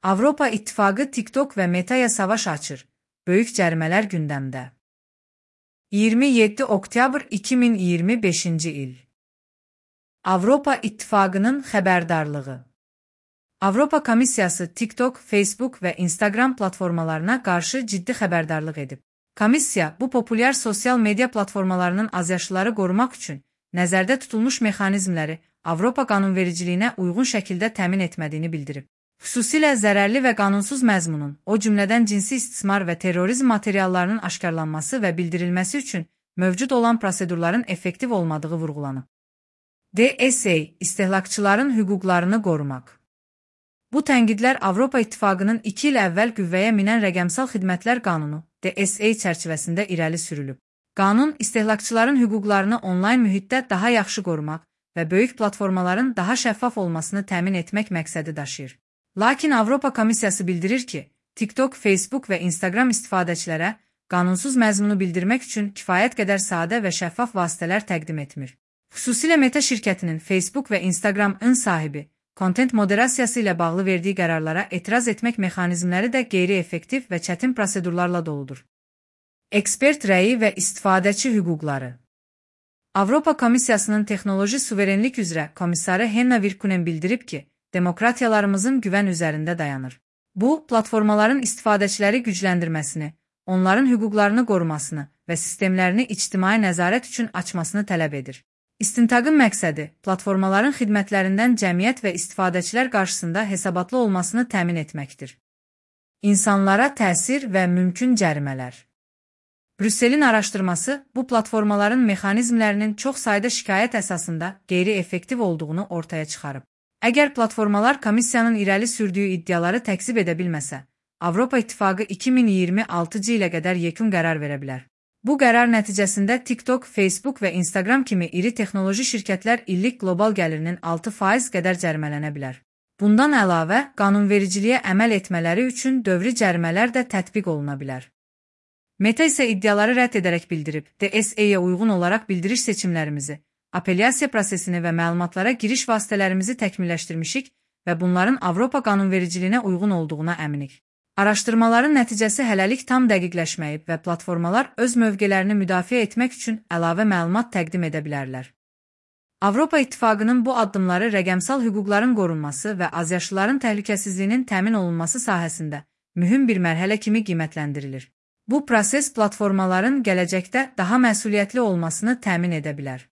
Avropa İttifaqı TikTok və Metaya savaş açır. Böyük cərimələr gündəmdə. 27 oktyabr 2025-ci il. Avropa İttifaqının xəbərdarlığı. Avropa Komissiyası TikTok, Facebook və Instagram platformalarına qarşı ciddi xəbərdarlıq edib. Komissiya bu populyar sosial media platformalarının azyaşlıları qorumaq üçün nəzərdə tutulmuş mexanizmləri Avropa qanunvericiliyinə uyğun şəkildə təmin etmədiyini bildirib. Xüsusilə zərərli və qanunsuz məzmunun, o cümlədən cinsi istismar və terrorizm materiallarının aşkarlanması və bildirilməsi üçün mövcud olan prosedurların effektiv olmadığı vurğulanıb. DSA, istehlakçıların hüquqlarını qorumaq. Bu tənqidlər Avropa İttifaqının 2 il əvvəl qüvvəyə minən Rəqəmsal Xidmətlər Qanunu, DSA çərçivəsində irəli sürülüb. Qanun, istehlakçıların hüquqlarını onlayn mühitdə daha yaxşı qorumaq və böyük platformaların daha şəffaf olmasını təmin etmək məqsədi daşıyır. Lakin Avropa Komissiyası bildirir ki, TikTok, Facebook və Instagram istifadəçilərə qanunsuz məzmunu bildirmək üçün kifayət qədər sadə və şəffaf vasitələr təqdim etmir. Xüsusilə Meta şirkətinin Facebook və Instagram-ın sahibi, kontent moderasiyası ilə bağlı verdiyi qərarlara etiraz etmək mexanizmləri də qeyri-effektiv və çətin prosedurlarla doludur. Ekspert rəyi və istifadəçi hüquqları. Avropa Komissiyasının Texnoloji Suverenlik üzrə komissarı Henna Virkkunen bildirib ki, demokratiyalarımızın güvən üzərində dayanır. Bu, platformaların istifadəçiləri gücləndirməsini, onların hüquqlarını qorumasını və sistemlərini ictimai nəzarət üçün açmasını tələb edir. İstintaqın məqsədi, platformaların xidmətlərindən cəmiyyət və istifadəçilər qarşısında hesabatlı olmasını təmin etməkdir. İnsanlara təsir və mümkün cərimələr. Brüsselin araşdırması, bu platformaların mexanizmlərinin çox sayda şikayət əsasında qeyri-effektiv olduğunu ortaya çıxarıb. Əgər platformalar komissiyanın irəli sürdüyü iddiaları təkzib edə bilməsə, Avropa İttifaqı 2026-cı ilə qədər yekun qərar verə bilər. Bu qərar nəticəsində TikTok, Facebook və Instagram kimi iri texnoloji şirkətlər illik qlobal gəlirinin 6% qədər cərimələnə bilər. Bundan əlavə, qanunvericiliyə əməl etmələri üçün dövri cərimələr də tətbiq oluna bilər. Meta isə iddiaları rədd edərək bildirib, DSA-yə uyğun olaraq bildiriş seçimlərimizi, apellyasiya prosesini və məlumatlara giriş vasitələrimizi təkmilləşdirmişik və bunların Avropa qanunvericiliyinə uyğun olduğuna əminik. Araşdırmaların nəticəsi hələlik tam dəqiqləşməyib və platformalar öz mövqelərini müdafiə etmək üçün əlavə məlumat təqdim edə bilərlər. Avropa İttifaqının bu addımları rəqəmsal hüquqların qorunması və azyaşlıların təhlükəsizliyinin təmin olunması sahəsində mühüm bir mərhələ kimi qiymətləndirilir. Bu proses platformaların gələcəkdə daha məsuliyyətli olmasını təmin edə bilər.